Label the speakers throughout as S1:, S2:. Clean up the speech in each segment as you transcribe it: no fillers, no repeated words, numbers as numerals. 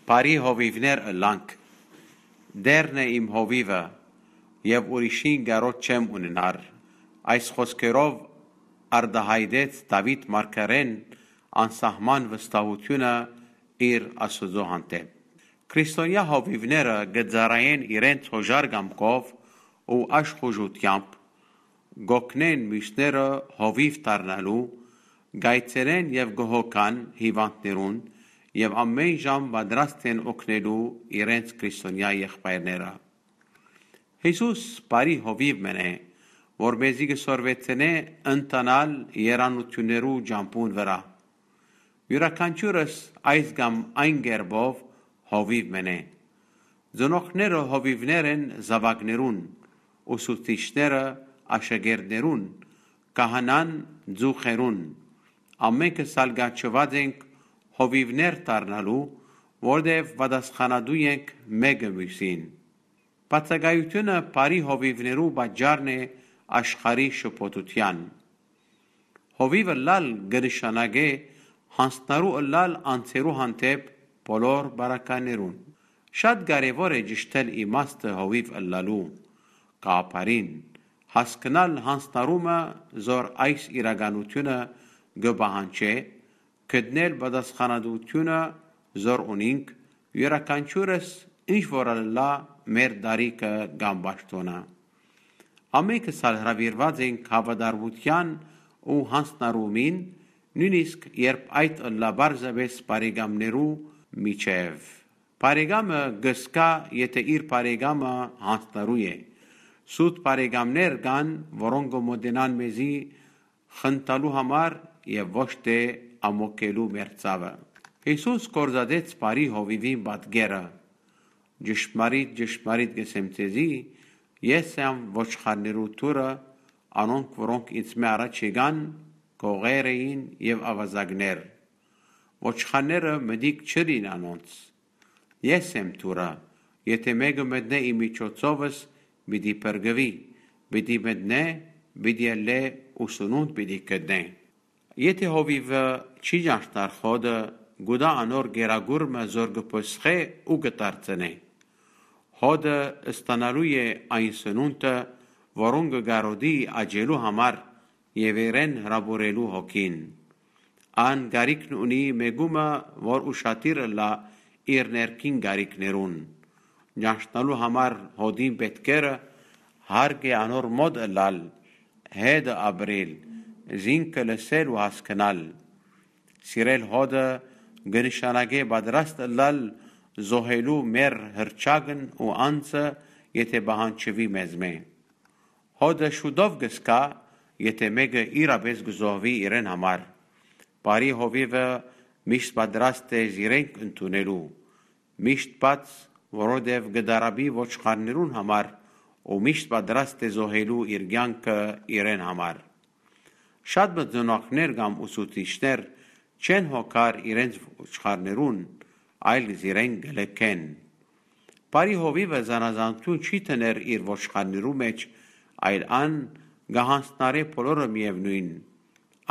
S1: Բարի հովիվներ ըլանք, դերն է իմ հովիվը, և ուրիշին գարոտ չեմ ունենար, այս խոսքերով արդահայտեց Դավիթ մարգարեն անսահման վստահությունը իր Աստծո հանդեպ։ Քրիստոնյա հովիվները գծարային իրենց հոժար կամքով ու աշխուժությամբ, գոքնեն մյուսները հովիվ դառնալու, գայցերեն և գոհոքան հիվանդներուն և ամեն ժամ պատրաստ են օգնելու իրենց քրիստոնյա եղբայրները։ Հիսուս բարի հովիվ մենե, որ մեզի կսորվեցնե ընտանալ երանություններու ջամփուն վրա։ Յուրաքանչյուրս այս կամ այն գերբով հովիվ մենե։ Ծնողները հովիվներ են զավակներուն, ուսուցիչները աշակերտներուն, կահանան ծուխերուն, ամենքը սալգաչված ենք հովիվներ դառնալու, որտև պատասխանատու ենք մեկը մյուսին։ Բացակայությունը բարի հովիվներու պատճառն է աշխարհի շփոթության։ Հովիվը լալ կնշանակե հանձնարու ըլլալ անձերու հանդեպ բոլոր բարականերուն։ Շատ կարևոր է ճշտել իմաստը հովիվ ըլլալու կապարին, հասկանալ հանձնարումը, զոր այս իրականությունը կպահանջե, գտնել պատասխանատվությունը, զոր ունենք, յուրաքանչյուրս ինչ որ ըլլա մեր դարիքը կամ պաշտոնը։ Ամենքս հրավիրված ենք հավատարմության ու հանձնարումին, նույնիսկ երբ այդ ըլլա բարձրապես բարեկամներու միջև։ Բարեկամը գսկա, եթե իր բարեկամը հանձնարու է։ Սուտ բարեկամներ կան, որոնք մոտենան մեզի խնդալու համար և ոչ թե ամոկելու մեր ցավը։ Հիսուս կորզադեց բարի հովիվին պատկերը։ Ճշմարիտ կսեմ ձեզի, ես եմ ոչխարներու թուրը, անոնք որոնք ինձ մե առաջ եկան, գողեր էին և ավազակներ։ Ոչխարները մտիկ չրին անոնց։ Ես եմ թուրը, եթե մեկը մտնե իմ միջոցովս, պիտի փրկվի, պիտի մտնե, պիտի ելլե ու սնունդ պիտի գտնե։ Եթե հովիվը չի ճանչնար խոդը, գուտա անոր գերագուրմը զոր կփսխե ու կդարձնե։ Հոդը ստանալու է այն սնունդը, որոնք կգարոդի աճելու համար և իրեն հրապուրելու հոգին։ Ան գարիքն ունի մեգումը, որ ուշադիր ըլլա իր ներքին գարիքներուն։ Ճանչնալու համար հոդին պետքերը հարկ է անոր մոտ ըլլալ, հետը ապրել, զինքը լսել ու հասկանալ։ Սիրել հոդը կնշանակե պատրաստ ըլլալ զոհելու մեր հրճակն ու անձը, եթե պահանջվի մեզ մե։ Հոդը շուտով կսկա, եթե մեկը իրապես կզոհվի իրեն համար։ Բարի հովիվը միշտ պատրաստ է զիրենք ընդունելու, միշտ բաց, որովհետև կդարաբի ոչխարներուն համար ու միշտ պատրաստ է զոհելու իր կյանքը իրեն համար։ Շատ ծնողներ կամ ուսուցիչներ չեն հոգար իրենց ոչխարներուն, այլ զիրեն գլքեն։ Բարի հովիվը զանազանություն չի տներ իր ոչխարներու մեջ, այլ ան կհանձնարե բոլորը միևնույն։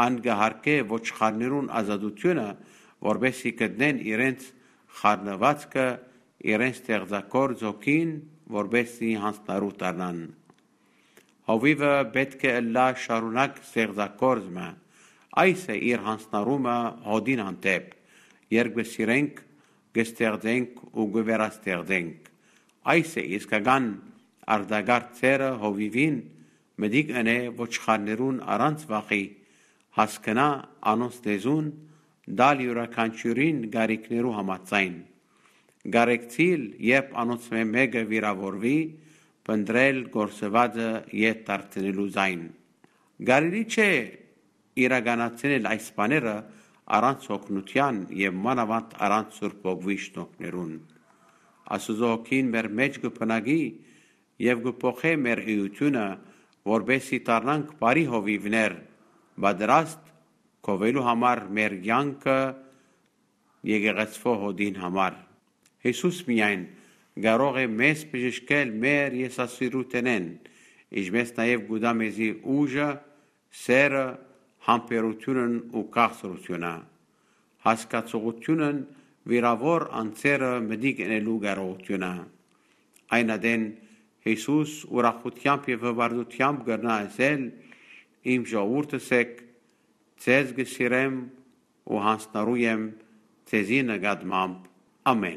S1: Ան կհարկե ոչխարներուն ազատությունը, որպեսզի գտնեն իրենց խառնվածքը, իրենց ստեղծագործ հոգին, որպեսզի հանձնարու դառնան։ Հովիվը պետք է ըլլա շարունակ ստեղծագործը, այս է իր հանձնարումը հոդին հանդեպ, երբ կսիրենք, կստեղծենք ու կվերաստեղծենք։ Այս է իսկական արտագաղթ ծերը հովիվին, մտիկ ընե ոչխարներուն առանց վախի, հասկանա անոնց լեզուն, դալ յուրաքանչյուրին գարիքներու համաձայն։ Գարեկցիլ, երբ անոնց մեկը վիրավորվի, պնդրել գործվածը ետ դարձնելու զայն։ Գարելի չէ իրականացնել այս բաները առանց օգնության և մանավանդ առանց Սուրբ Հոգվի շնորհներուն։ Աստծո հոգին մեր մեջ կբնակի և կփոխե մեր էությունը, որպեսզի դառնանք բարի հովիվներ, պատրաստ գովելու համար մեր կյանքը եկեղեցվո հոդին համար։ Հիսուս միայն կարող է մեզ բժշկել մեր եսասիրութենեն, ինչպես նաև գուտա մեզի ուժը, սերը, համբերությունն ու քաղցրությունը, հասկացողությունն վիրավոր անձերը մդիկ ընելու կարողությունը։ Այն adեն Հիսուս ուրախությամբ եւ հվարդությամբ գտնա ասել իմ ժողովուրդս եք ձեզ գսիրեմ ու հանձնարու եմ ձեզի նկատմամբ ամեն